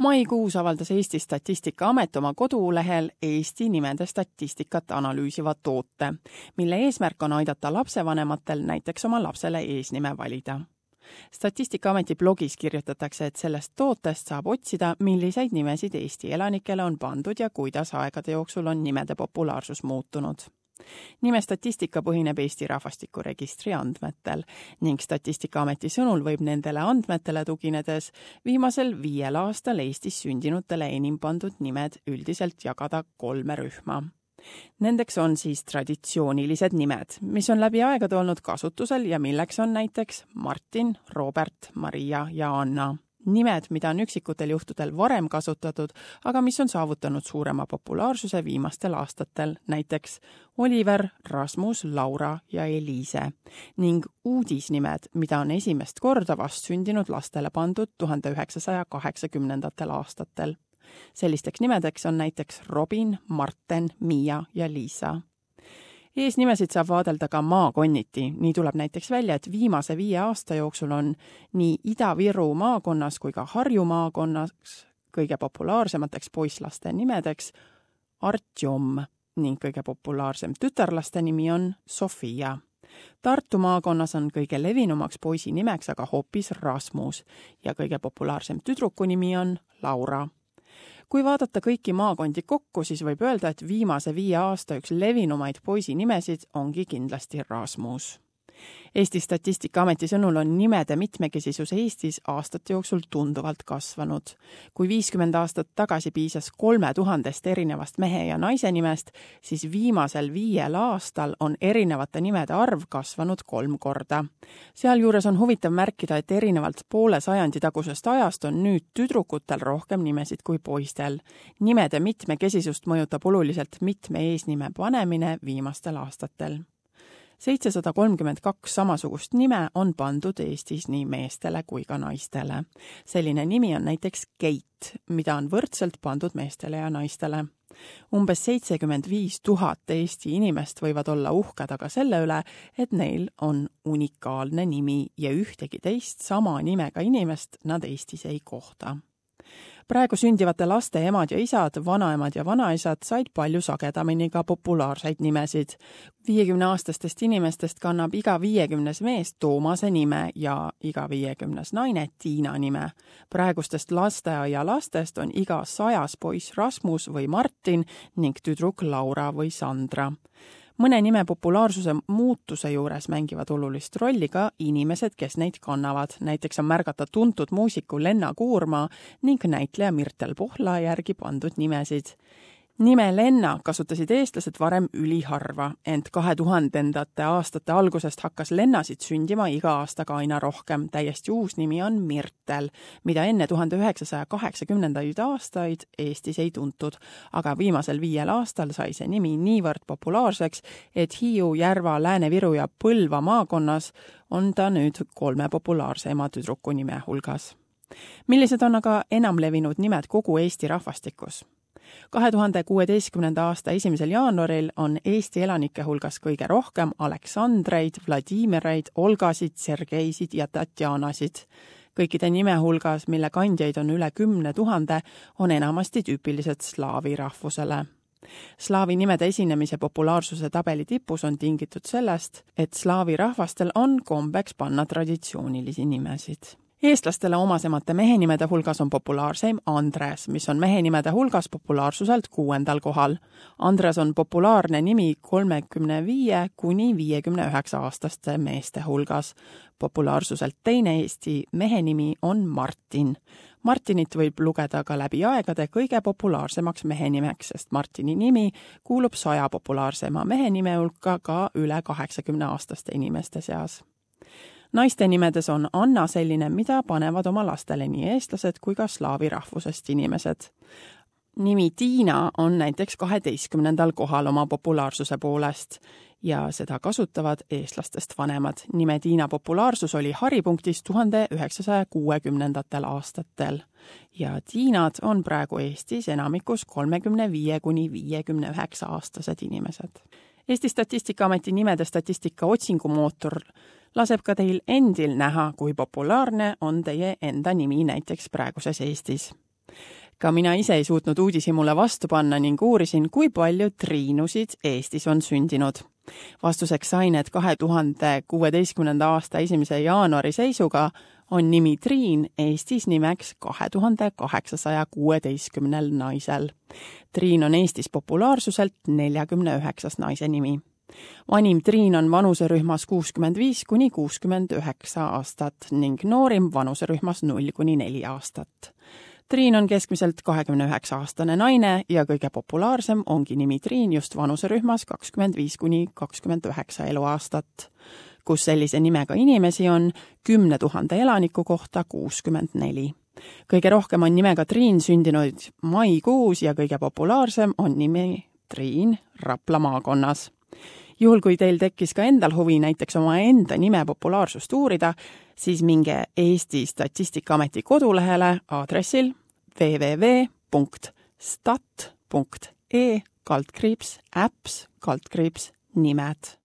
Maikuus avaldas Eesti Statistikaamet oma kodulehel Eesti nimede statistikat analüüsiva toote, mille eesmärk on aidata lapsevanematel näiteks oma lapsele eesnime valida. Statistikaameti blogis kirjutatakse, et sellest tootest saab otsida, milliseid nimesid Eesti elanikele on pandud ja kuidas aegade jooksul on nimede populaarsus muutunud. Nime statistika põhineb Eesti rahvastikuregistri andmetel ning Statistikaameti sõnul võib nendele andmetele tuginedes viimasel 5 aastal Eestis sündinutele enim pandud nimed üldiselt jagada 3 rühma. Nendeks on siis traditsioonilised nimed, mis on läbi aegade olnud kasutusel ja milleks on näiteks Martin, Robert, Maria ja Anna. Nimed, mida on üksikutel juhtudel varem kasutatud, aga mis on saavutanud suurema populaarsuse viimastel aastatel, näiteks Oliver, Rasmus, Laura ja Eliise, ning uudisnimed, mida on esimest korda vastsündinud lastele pandud 1980. aastatel. Sellisteks nimedeks on näiteks Robin, Marten, Miia ja Liisa. Eesnimesid saab vaadelda ka maakonniti. Nii tuleb näiteks välja, et viimase 5 aasta jooksul on nii Ida-Viru maakonnas kui ka Harju maakonnas kõige populaarsemateks poisslaste nimedeks Artjom ning kõige populaarsem tütarlaste nimi on Sofia. Tartu maakonnas on kõige levinumaks poisi nimeks aga hoopis Rasmus ja kõige populaarsem tüdruku nimi on Laura. Kui vaadata kõiki maakondi kokku, siis võib öelda, et viimase 5 aasta üks levinumaid poisi nimesid ongi kindlasti Rasmus. Eesti Statistikaameti sõnul on nimede mitmekesisus Eestis aastate jooksul tunduvalt kasvanud. Kui 50 aastat tagasi piisas 3000 erinevast mehe ja naise nimest, siis viimasel 5 aastal on erinevate nimede arv kasvanud 3 korda. Sealjuures on huvitav märkida, et erinevalt poole sajandi tagusest ajast on nüüd tüdrukutel rohkem nimesid kui poistel. Nimede mitmekesisust mõjutab oluliselt mitme eesnime panemine viimastel aastatel. 732 samasugust nime on pandud Eestis nii meestele kui ka naistele. Selline nimi on näiteks Keit, mida on võrdselt pandud meestele ja naistele. Umbes 75 000 Eesti inimest võivad olla uhked aga selle üle, et neil on unikaalne nimi ja ühtegi teist sama nimega inimest nad Eestis ei kohta. Praegu sündivate laste emad ja isad, vanaemad ja vanaisad said palju sagedamini ka populaarseid nimesid. 50-aastastest inimestest kannab iga 50 mees Toomase nime ja iga 50 naine Tiina nime. Praegustest lasteaia lastest on iga 100 poiss Rasmus või Martin ning tüdruk Laura või Sandra. Mõne nime populaarsuse muutuse juures mängivad olulist rolli ka inimesed, kes neid kannavad. Näiteks on märgata tuntud muusiku Lenna Kuurma ning näitleja Mirtel Pohla järgi pandud nimesid. Nime Lenna kasutasid eestlased varem üliharva, ent 2000. aastate algusest hakkas Lennasid sündima iga aastaga aina rohkem. Täiesti uus nimi on Mirtel, mida enne 1980. aastaid Eestis ei tuntud, aga viimasel 5 aastal sai see nimi niivõrd populaarseks, et Hiiu, Järva, Lääne-Viru ja Põlva maakonnas on ta nüüd 3 populaarsema tüdruku nime hulgas. Millised on aga enamlevinud nimed kogu Eesti rahvastikus? 2016. aasta 1. jaanuaril on Eesti elanike hulgas kõige rohkem Aleksandreid, Vladimireid, Olgasid, Sergeisid ja Tatjanasid. Kõikide nime hulgas, mille kandjaid on üle 10 000, on enamasti tüüpilised slaavi rahvusele. Slaavi nimede esinemise populaarsuse tabeli tipus on tingitud sellest, et slaavi rahvastel on kombeks panna traditsioonilisi nimesid. Eestlastele omasemate mehenimede hulgas on populaarseim Andres, mis on mehenimede hulgas populaarsuselt 6. kohal. Andres on populaarne nimi 35 kuni 59 aastaste meeste hulgas. Populaarsuselt teine Eesti mehenimi on Martin. Martinit võib lugeda ka läbi aegade kõige populaarsemaks mehenimeks, sest Martini nimi kuulub 100 populaarsema mehenime hulka ka üle 80-aastaste inimeste seas. Naiste nimedes on Anna selline, mida panevad oma lastele nii eestlased kui ka slaavi rahvusest inimesed. Nimi Tiina on näiteks 12. kohal oma populaarsuse poolest ja seda kasutavad eestlastest vanemad. Nime Tiina populaarsus oli haripunktis 1960. aastatel ja Tiinad on praegu Eestis enamikus 35 kuni 59 aastased inimesed. Eesti Statistikaameti nimede statistika otsingumootor laseb ka teil endil näha, kui populaarne on teie enda nimi näiteks praeguses Eestis. Ka mina ise ei suutnud uudishimule vastu panna ning uurisin, kui palju Triinusid Eestis on sündinud. Vastuseks sain, et 2016. aasta 1. jaanuari seisuga on nimi Triin Eestis nimeks 2816 naisel. Triin on Eestis populaarsuselt 49. naise nimi. Vanim Triin on vanuserühmas 65–69 aastat ning noorim vanuserühmas 0–4 aastat. Triin on keskmiselt 29-aastane naine ja kõige populaarsem ongi nimi Triin just vanuserühmas 25–29 eluaastat, kus sellise nimega inimesi on 10 000 elaniku kohta 64. Kõige rohkem on nimega Triin sündinud maikuus ja kõige populaarsem on nimi Triin Rapla maakonnas. Juhul, kui teil tekkis ka endal huvi näiteks oma enda nime populaarsust uurida, siis minge Eesti Statistikaameti kodulehele aadressil www.stat.e/apps/nimed.